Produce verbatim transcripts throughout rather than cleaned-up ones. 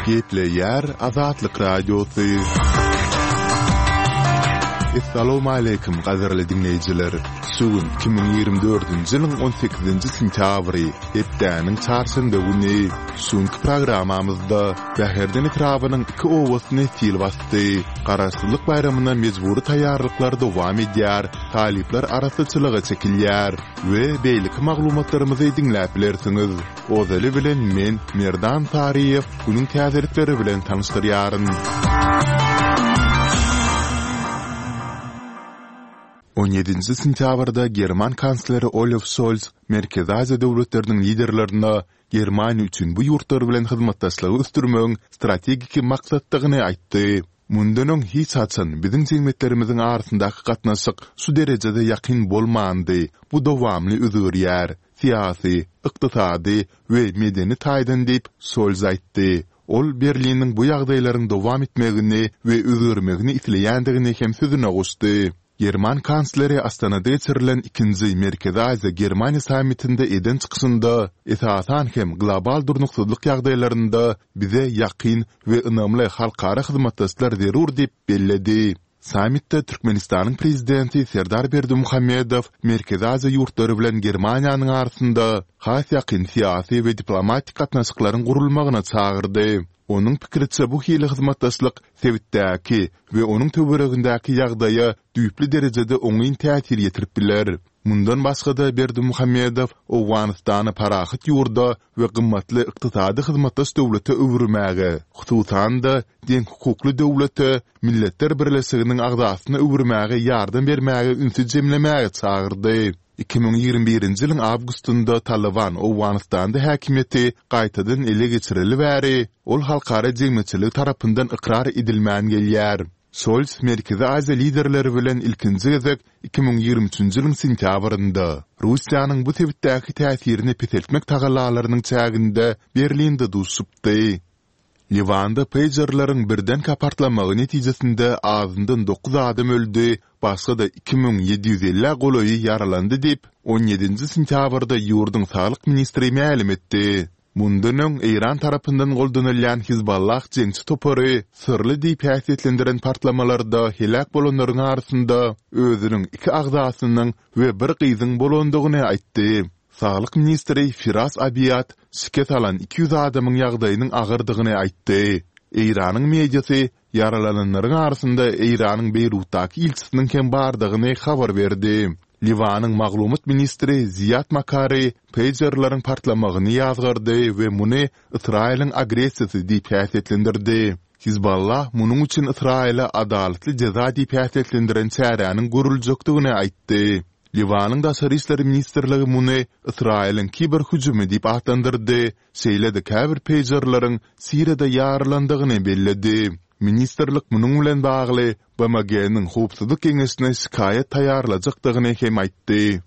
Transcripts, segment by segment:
Gepleýär Azatlyk Radiosy. Essalawmaleýkim gadyrly diňleýjiler! Şu gün iki müň ýigrimi dördünji ýylyň on sekizinji sentýabry, hepdäniň çarşenbe güni. Şu günki programmamyzda Bäherden etrabynyň iki obasyny sil basdy. Garaşsyzlyk baýramyna mejbury taýýarlyklar dowam edýär, talyplar arassaçylyga çekilýär we beýleki maglumatlarymyzy diňläp bilersiňiz. Ozaly bilen men, Merdan Saryýew, günüň täzelikleri bilen tanyşdyrýaryn. On ýedinji sentýabrda german kansleri Olaf Şolz Merkezi Aziýa döwletleriniň liderlerine Germaniýa üçin bu ýurtlar bilen hyzmatdaşlygy ösdürmegiň strategiki maksatdygyny aýtdy. Mundan öň hiç haçan biziň jemgyýetlerimiziň arasyndaky gatnaşyk şu derejede ýakyn bolmandy, bu dowamly özgerýär, syýasy, ykdysady we medeni taýdan diýip, Şolz aýtdy. Ol Berliniň bu ýagdaýlaryň dowam etmegini we özgermegini isleýändigini hem sözüne goşdy. German kansleri Astanada geçirilen ikinji Merkezi Aziýa-Germaniýa sammitinde eden çykyşynda, esasan hem global durnuksyzlyk ýagdaýlarynda bize ýakyn we ynamly halkara hyzmatdaşlar zerur diýip belledi. Sammitde Türkmenistanyň Prezidenti Serdar Berdimuhamedow Merkezi Aziýa ýurtlary bilen Germaniýanyň arasynda has ýakyn syýasy we diplomatik gatnaşyklaryň gurulmagyna çagyrdy. Onuň pikiriçe, bu hili hyzmatdaşlyk sebitdäki we onuň töweregindäki ýagdaýa düýpli derejede oňyn täsir ýetirip biler. Mundan başga-da, Berdimuhamedow Owganystany parahat ýurda we gymmatly ykdysady hyzmatdaş döwlete öwürmäge, hususan-da, deňhukukly döwlete, Milletler Birleşiginiň agzasyna öwürmäge ýardam bermäge ünsi jemlemäge çagyrdy. Iki müň ýigrimi birinji ýylyň awgustynda Talyban Owganystanda häkimiýeti gaýtadan ele geçireli bäri, ol halkara jemgyýetçiligi tarapyndan ykrar edilmän gelýär. Şolz Merkezi Aziýa liderleri bilen ilkinji gezek iki müň ýigrimi üçünji ýylyň sentýabrynda, Russiýanyň bu sebitdäki täsirini peseltmek tagallalarynyň çäginde Berlinde duşuşypdy. Liwanda peýjerleriň birdenkä partlamagy netijesinde azyndan dokuz adam öldi, başga-da iki müň ýedi ýüz ellä golaýy ýaralandy diýip, on ýedinji sentýabrda ýurduň saglyk ministri mälim etdi. Mundan öň Eýran tarapyndan goldanylýan Hizballah jeňçi topary syrly diýip häsiýetlendiren partlamalarda heläk bolanlaryň arasynda özüniň iki agzasynyň we bir gyzyň bolandygyny aýtdy. Saglyk ministri Firas Abiýad şikes alan iki ýüz adamyň ýagdaýynyň agyrdygyny aýtdy. Eýranyň mediasy ýaralananlaryň arasynda Eýranyň Beýrutdaky ilçisiniň hem bardygyny habar berdi. Liwanyň maglumat ministri Ziýad Makary peýjerleriň partlamagyny ýazgardy we muny Ysraýylyň agressiýasy diýip häsiýetlendirdi. Hizballah munuň üçin Ysraýyla adalatly jeza diýip häsiýetlendiren çäräniň görüljekdigini aýtdy. Liwanyň Daşary işler ministrligi muny Ysraýylyň kiber hüjümi diýip atlandyrdy, şeýle-de käbir peýjerleriň Siriýada ýarylandygyny belledi. Ministrlik munuň bilen bagly BMG-niň Howpsuzlyk Geňeşine şikaýat taýýarlajakdygyny hem aýtdy.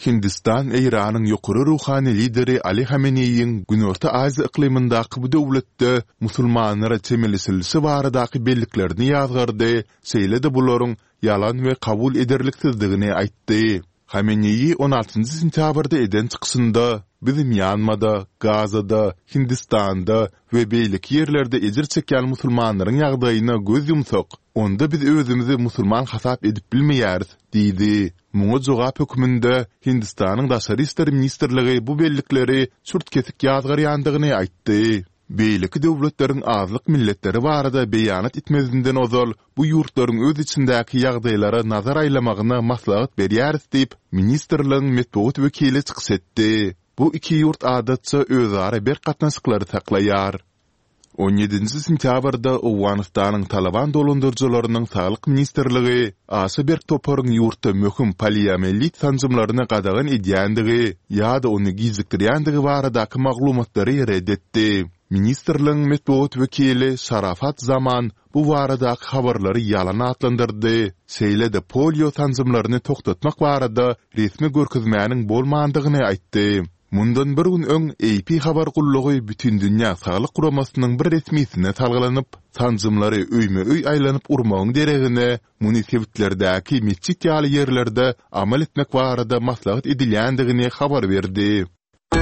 Hindistan Eýranyň ýokary ruhany lideri Ali Hameneýiň Günorta Aziýa yklymyndaky bu döwletde musulmanlara çemeleşilişi baradaky belliklerini ýazgardy, şeýle-de bularyň ýalan we kabul ederliksizdigini aýtdy. Hameneýi on altynjy sentýabrda eden çykyşynda, Biz Mýanmada, Gazada, Hindistanda we beýleki ýerlerde ejir çekýän musulmanlaryň ýagdaýyna göz ýumsak, onda biz özümizi musulman hasap edip bilmeýäris diýdi. Muňa jogap hökmünde Hindistanyň Daşary işler ministrligi bu bellikleri çürt-kesik ýazgarýandygyny aýtdy. Beýleki döwletleriň azlyk milletleri barada beýanat etmezinden ozal bu ýurtlaryň öz içindäki ýagdaýlara nazar aýlamagyna maslahat berýäris diýip, ministrligiň metbugat wekili çykyş etdi. Bu iki ýurt adatça özara berk gatnaşyklary saklaýar. On ýedinji sentýabrda Owganystanyň Talyban dolandyryjylarynyň Saglyk ministrligi aşa berk toparyň ýurtda möhüm poliomielit sanjymlaryny gadagan edýändigi ýa-da ony gijikdirýändigi baradaky maglumatlary ret etdi. Ministrligiň metbugat wekili Şarafat Zaman bu baradaky habarlary ýalan atlandyrdy, şeýle-de polio sanjymlaryny togtatmak barada resmi görkezmäniň bolmandygyny aýtdy. Mundan bir gün öň AP habar gullugy Bütindünýä saglyk guramasynyň bir resmisine salgylanyp, sanjymlary öýme-öý aýlanyp urmagyň deregine, muny sebitlerdäki metjit ýaly ýerlerde amal etmek barada maslahat edilýändigini habar berdi.